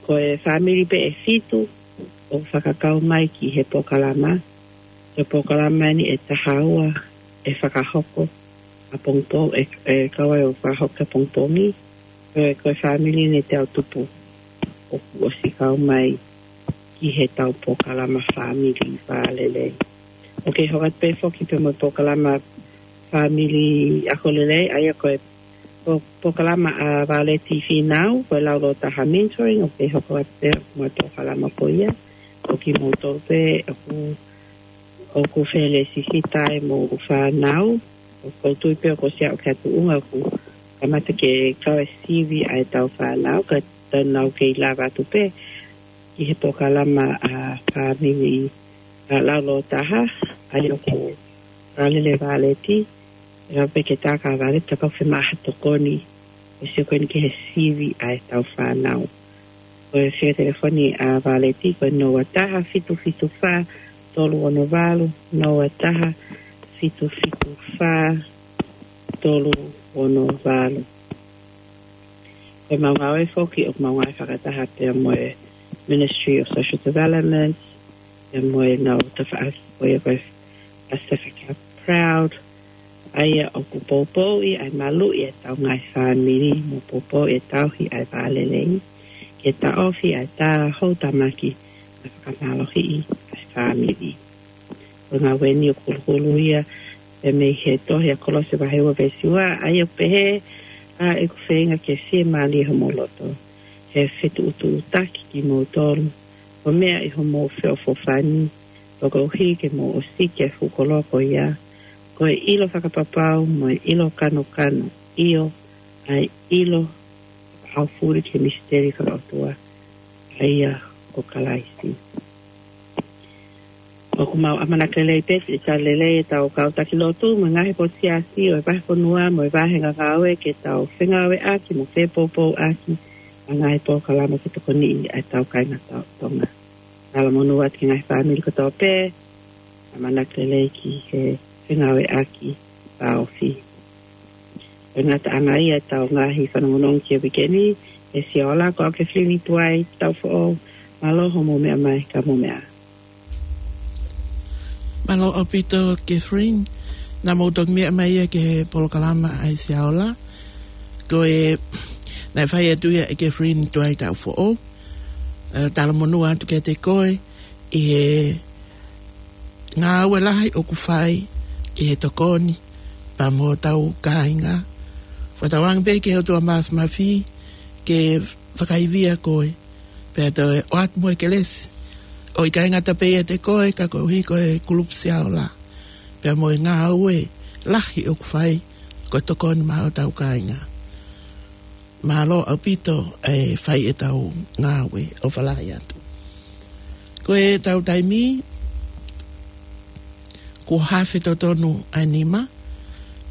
ko e fāmili pē ʻe fitu ʻoku fakakau mai ki he polokalama. Ko e polokalama ni ʻe taha ua ʻe fakahoko ʻapongipongi, ʻe, ʻe kau ai ʻo fakahoko ʻapongipongi. Ko e, ko e fāmili ni ʻe teau tupu ʻoku ʻosi kau mai ki he tau polokalama fāmili vā lelei. ʻOku hoko atu pē foki pē mo e polokalama fāmili ako lelei, ʻa ia ko e po-, polokalama ʻa Vāleti Fīnau, ko e Lau Lōtaha Mentoring, ʻoku hoko atu pē mo e polokalama ko ia. Ko kimoutolu pē ʻoku, ʻoku fie lēsisita ai mo e fānau, ʻoku ou tui pē ʻoku ʻosi aʻu ki he tuʻunga ʻoku kamata ke kau e sivi ʻa e tau fānau, ka tau nau kei lava atu pē ki he polokalama ʻa fāmili ʻa Lau Lōtaha, ʻa ia ʻoku Vālele Vāleti, ʻe lava pē ke tā kia Vāleti kapau ʻoku fiemaʻu ha tokoni, ʻe sio ko eni ki he sivi ʻa e tau fānau. Ko e fika telefoni ʻa Vāleti ko e noa taha fitu fitu fā tolu ono valu, noa taha fitu fitu fā tolu ono valu. Ko e mau ngāue foki ʻoku mau ngāue fakataha pea mo e Ministry of Social Development, pea mo e nau tafaʻaki ko ia ko e Pacific Health Proud, ʻa ia ʻoku poupouʻi ʻa e maluʻi ʻa e tau ngaahi fāmili, mo poupouʻi ʻa e tauhi ʻa e vā lelei, ke taʻofi ʻa e tā houtamaki, mo fakamālohiʻi ʻa e fāmili. Ko e ngāue ni ʻoku huluhulu ia pē mei he tohi ʻa Kolose vahe ua veesi ua, ʻa ia ʻoku pehē, ʻa ʻeku feinga ke fiemālie homou loto, ke fetuʻutuʻutaki kimoutolu, ʻo meʻa ʻi homou feʻofoʻofani, koeʻuhi ke mou ʻosiki ʻa e fuʻu koloa ko ia, ko e ʻilo fakapapau mo e ʻilo kanokano, ʻio, ʻa e ʻilo fakaʻaufuli ki he misiteli fakaʻotua, ʻa ia ko Kalaisi. ʻOku mau ʻamanaki lelei pē ke tali lelei e tau kau taki lotu mo e ngaahi potu siasi ʻo e vahefonua mo e vāhenga ngāue ke tau fengāueʻaki mo fepoupouʻaki ʻa e ngaahi polokalama ke tokoniʻi ʻa e tau kāinga Tonga. Talamonū atu ki he ngaahi fāmili kotoa pē, ʻamanaki lelei ki he fengāueʻaki fakaʻosi. Ko e ngataʻanga ia e tau ngaahi fanongonongo ki he uike ni, ʻe Sia Ola, ko au Kathleen Tuai Taufoʻou, mālō hoʻomou meʻa mai, ka mou meʻa ā. Mālō ʻaupito Kathleen, naʻa mou toki meʻa mai ia ki he polokalama ʻa e Sia Ola. Ko e, naʻe fai atu ia ʻe Kathleen Tuai Taufoʻou. ʻE, talamonū atu kiate koe, ʻi he ngāue lahi ʻoku fai, ʻi he tokoni, pea mo hotau kāinga. Fakatauange pē ki he ʻOtua Māfimafi, ke fakaivia koe, pea toe ʻoatu mo e kelesi, ʻo ʻikai ngata pē ʻiate koe, ka koeʻuhi ko e kulupu Sia Ola, pea mo e ngāue lahi ʻoku fai, ko e tokoni maʻa hotau kāinga. Mālō ʻaupito e fai e tau ngāue ʻo falai atu. Ko e tau taimi, kuo hafe totonu ʻa e nima,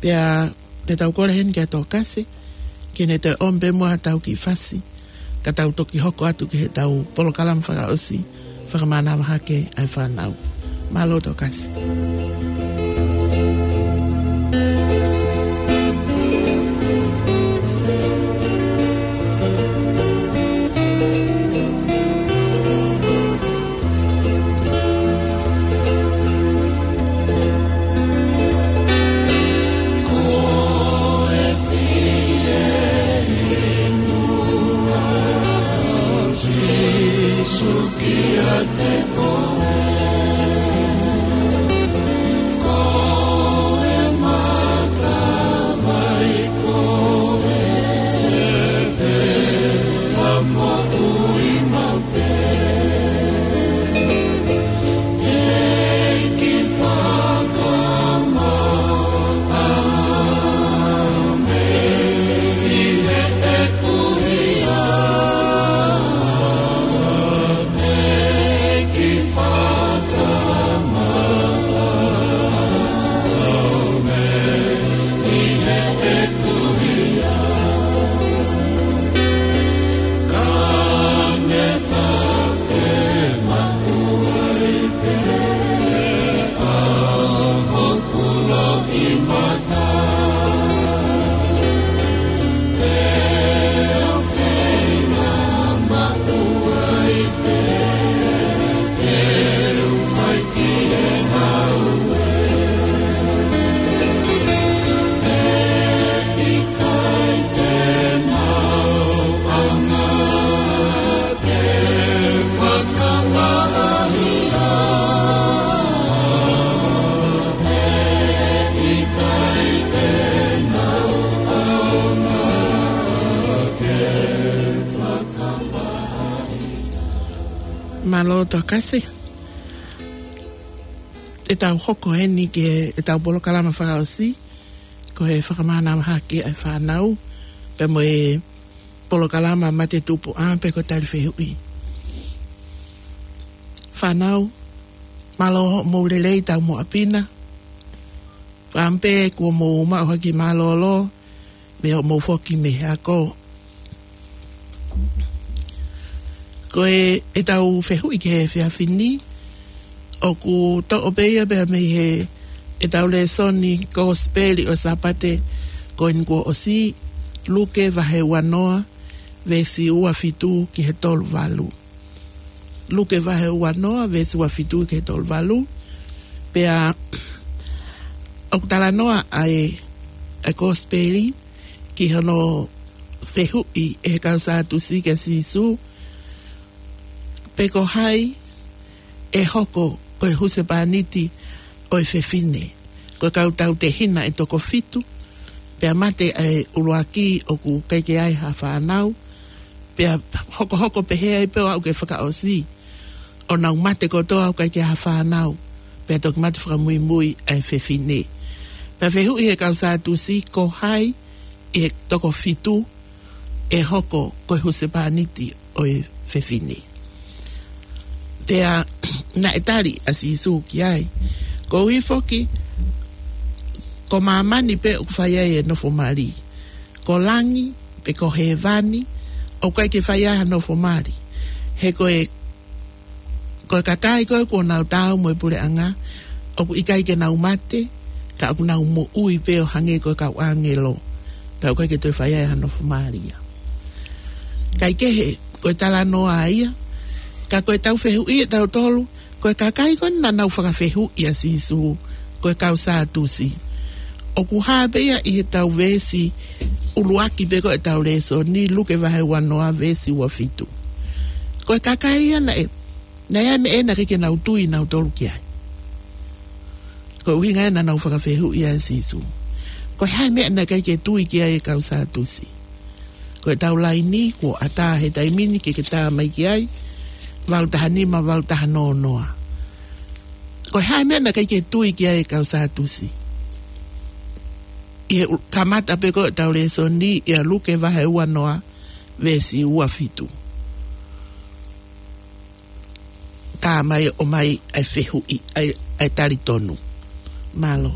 pea te tau kole heni kia Tokasi, ke ne toe ʻomi pē muʻa ha tau kiʻi fasi, ka tau toki hoko atu ki he tau polokalama fakaʻosi, fakamānava hake ʻa e fānau. Mālō Tokasi. Mālō Tokasi. ʻE tau hoko eni ki heʻetau polokalama fakaʻosi, ko e fakamānava hake ʻa e fānau, pea mo e polokalama Mate Tupu ʻa pe ko e tali fehuʻi. Fānau, mālō hoʻomou lelei taumuʻa pina. Fakaʻamu pē kuo mou maʻu hake mālōlō, mei hoʻomou foki mei he ako. Ko e, ʻetau fehuʻi ki he efiafi ni, ʻoku toʻo pē ia pea mei he, ʻetau lēsoni Kosipeli ʻo e Sāpate ko eni kuo ʻosi, Luke vahe ua noa, veesi ua fitu ki he tolu valu. Luke vahe ua noa, veesi ua fitu ki he tolu valu. Pea, ʻoku talanoa ʻa e, ʻa e Kosipeli, ki hono fehuʻi ʻe he kau Sātusi kia Sīsū, pe ko hai ʻe hoko ko e husepāniti ʻo e fefine. Ko e kau tautehina ʻe toko fitu, pea mate ʻa e ʻuluaki ʻoku ʻikai ke ʻi ai ha fānau, pea hokohoko pehē ai pē ʻo aʻu ki he fakaʻosi, ʻo nau mate kotoa ʻo ʻikai ke ʻi ai ha fānau, pea toki mate fakamuimui ʻa e fefine. Pea fehuʻi ʻe he kau Sātusi, ko hai ʻi he toko fitu ʻe hoko ko e husepāniti ʻo e fefine. Pea naʻe tali ʻa Sīsū ki ai, koeʻuhi foki, ko māmani pē ʻoku fai ai e nofo mali. Ko langi, pe ko hēvani, ʻoku ʻikai ke fai ai ha nofo mali. He ko e, ko e kakai ko ē kuo nau taau mo e puleʻanga, ʻoku ʻikai ke nau mate, ka ʻoku nau moʻui pē ʻo hangē ko e kau ʻāngelo. Pea ʻoku ʻikai ke toe fai ai ha nofo mali ia. Kae kehe, ko e talanoa ia, ka ko ʻetau fehuʻi ʻe tautolu, ko e kakai ko ē naʻa nau fakafehuʻi ʻa Sīsū, ko e kau Sātusi. ʻOku hā pē ia ʻi heʻetau veesi ʻuluaki pē ko ē ʻetau lēsoni, Luke vahe ua noa, veesi ua fitu. Ko e kakai ia naʻe, naʻe ʻi ai e meʻa naʻe ʻikai ke nau tui nautolu ki ai. Ko e ʻuhinga ia naʻa nau fakafehuʻi ʻa Sīsū. Ko e hā e meʻa naʻe ʻikai ke tui ki ai e kau Sātusi. Ko ʻetau laini, kuo ʻatā he taimi ni ke ke tā mai ki ai, valu taha nima, valu taha noa noa. Ko e hā e meʻa naʻe ʻikai ke tui ki ai e kau Sātusi. ʻI he u-, kamata pē ko ē ʻetau lēsoni, ʻia Luke vahe ua noa, veesi ua fitu. Tā mai ʻo mai ʻa e fehuʻi, ʻa e, ʻa e tali tonu. Mālō.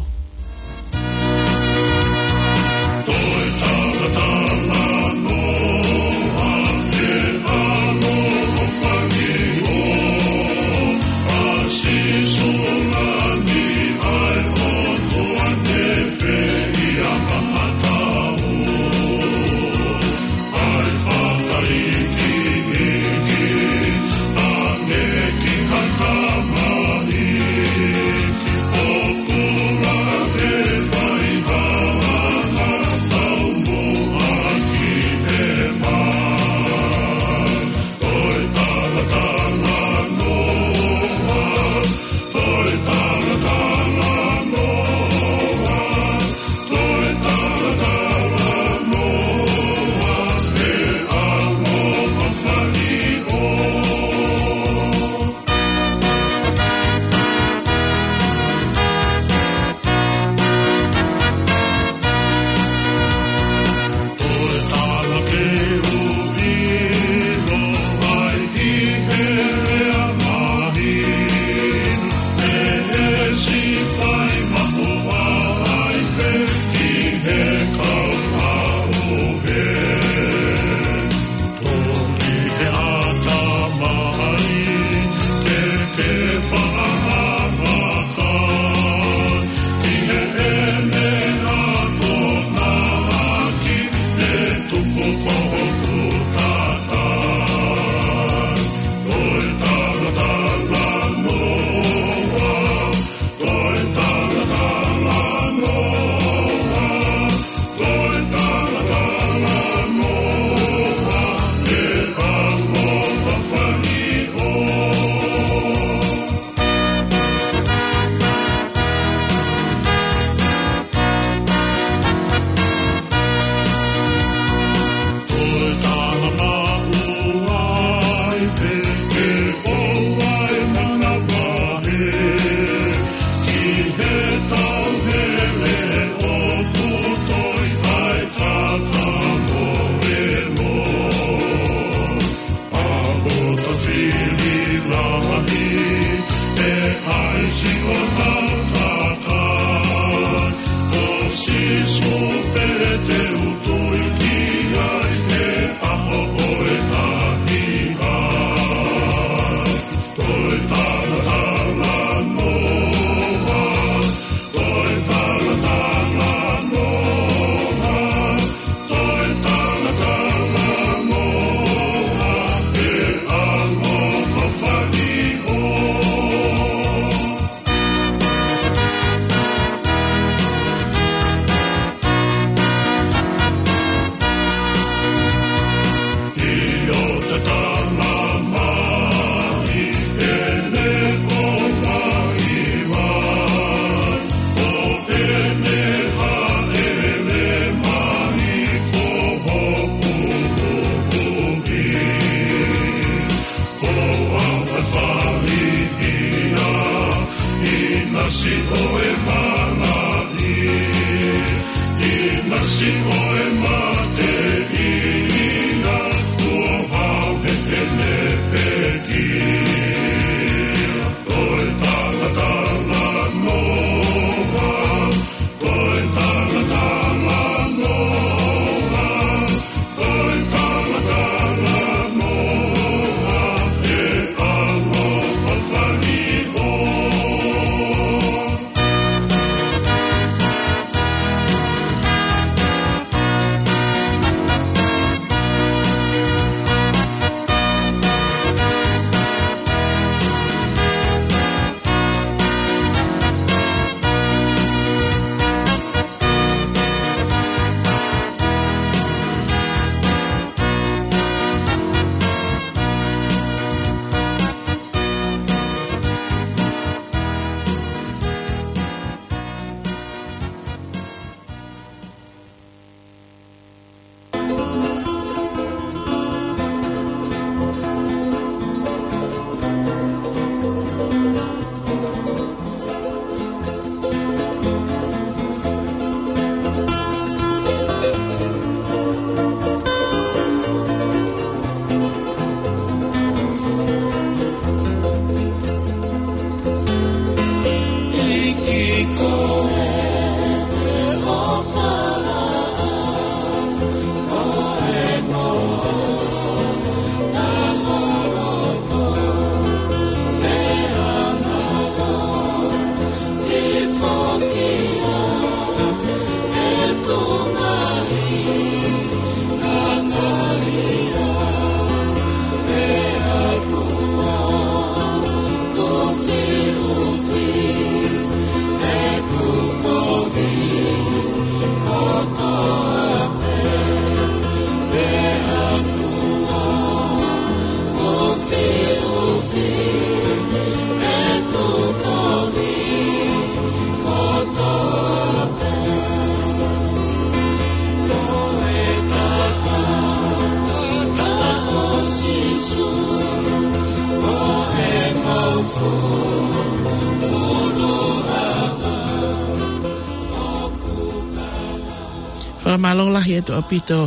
Fakamālō lahi atu ʻaupito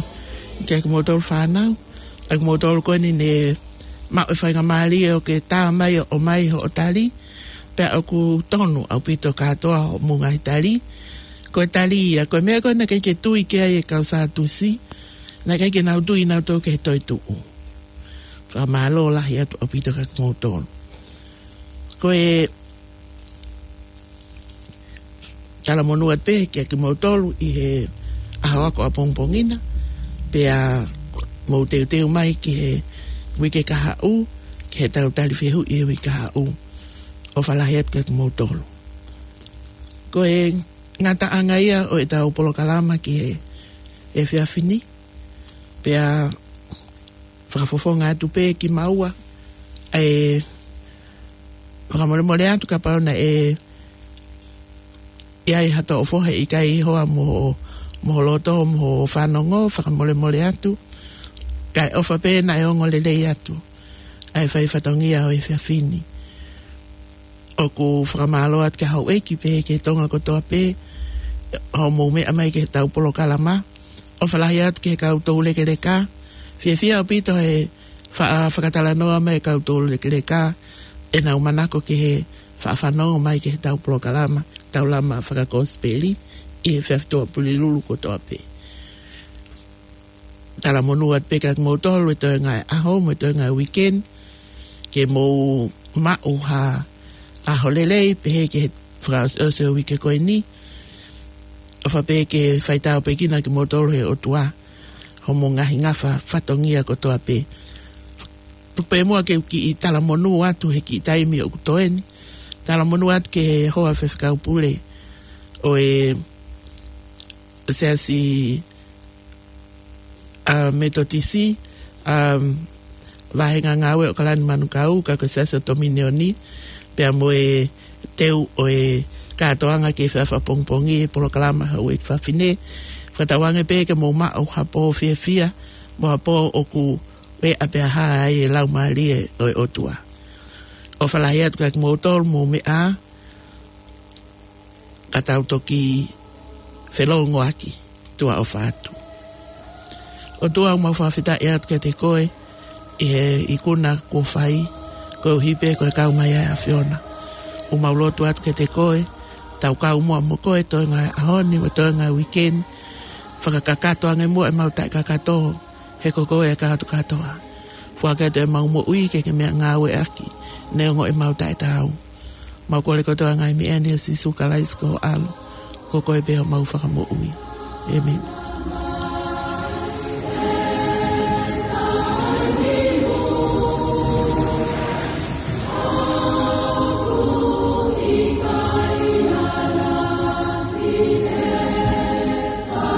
kia kimoutolu fānau, ʻa kimoutolu ko eni ne maʻu e faingamālie ʻo ke tā mai ʻo ʻomai hoʻo tali, pea ʻoku tonu ʻaupito kātoa hoʻomou ngaahi tali. Ko e tali ia, ko e meʻa ko ē naʻe ʻikai ke tui ki ai e kau Sātusi, naʻe ʻikai ke nau tui nautolu ki he toetuʻu. Fakamālō lahi atu ʻaupito kia kimoutolu. Ko e talamonū atu pē kiate kimoutolu ʻi he ʻaho ako ʻapongipongi na, pea mou teuteu mai ki he uike kahaʻu, ki heʻetau tali fehuʻi ʻi he uike kahaʻu. ʻOfa lahi atu kiate kimoutolu. Ko e ngataʻanga ia ʻo ʻetau polokalama ki he efiafi ni, pea fakafofonga atu pē kimaua, ʻa e fakamolemole atu kapau naʻe ʻi ai ha toʻofohe ʻikai hoa mo, mo ho loto, mo ho fanongo, fakamolemole atu. Kae ʻofa pē naʻe ongo lelei atu ʻa e fai fatongia ʻo e efiafi ni. ʻOku fakamālō atu ki he houʻeiki pē ki he Tonga kotoa pē, hoʻomou meʻa mai ki heʻetau polokalama. ʻOfa lahi atu ki he kau toulekeleka. Fiefia ʻaupito he fa-, fakatalanoa mai e kau toulekeleka ʻenau manako ki he faʻa fanongo mai ki heʻetau polokalama, tau lama fakakosipeli ʻi he efiafi Tuʻapulelulu kotoa pē. Talamonū atu pē kiate kimoutolu he toenga e ʻaho, mo e toenga e weekend, ke mou maʻu ha ʻaho lelei, pehē ki he fakaʻosiʻosi ʻo e uike ko eni. ʻOfa pē ke fai tāpuekina kimoutolu ʻe he ʻOtua, hoʻomou ngaahi ngafa fatongia kotoa pē. Tuku pē muʻa ke u kiʻi talamonū atu he kiʻi taimi ʻoku toe ni. Talamonū atu ki he hoa faifekau pule ʻo e Siasi ʻa Metotisi, ʻa Vāhenga Ngāue ʻAokalani Manukau, ka ko e Siasi ʻo Tominioni, pea mo e teu ʻo e kātoanga ki he efiafi ʻapongipongi, e polokalama Houʻeiki Fafine. Fakatauange pē ke mou maʻu ha pō fiefia, mo ha pō ʻoku ʻe ʻapehā ai e Laumālie ʻo e ʻOtua. ʻOfa lahi atu kiate kimoutolu, mou meʻa ā, ka tau toki felōngoaki, tuʻa ʻofa atu. ʻOtua, ʻoku mau fakafetaʻi atu kiate koe ʻi he ikuna kuo fai, koeʻuhi pē ko e kau mai ʻa e ʻAfiona. ʻOku mau lotu atu kiate koe, tau kau muʻa mo koe toenga e ʻaho ni, mo e toenga e weekend, fakakakato ange muʻa ʻemau taʻekakato, he ko koe e kātokātoa. Foaki atu ʻemau moʻui ke ke meʻangāueʻaki, neongo ʻemau taʻetaau. Mau kole kotoa e ngaahi meʻa ni ʻia Sīsū Kalaisi ko ho ʻAlo, ko koe pē homau Fakamoʻui. ʻĒmeni.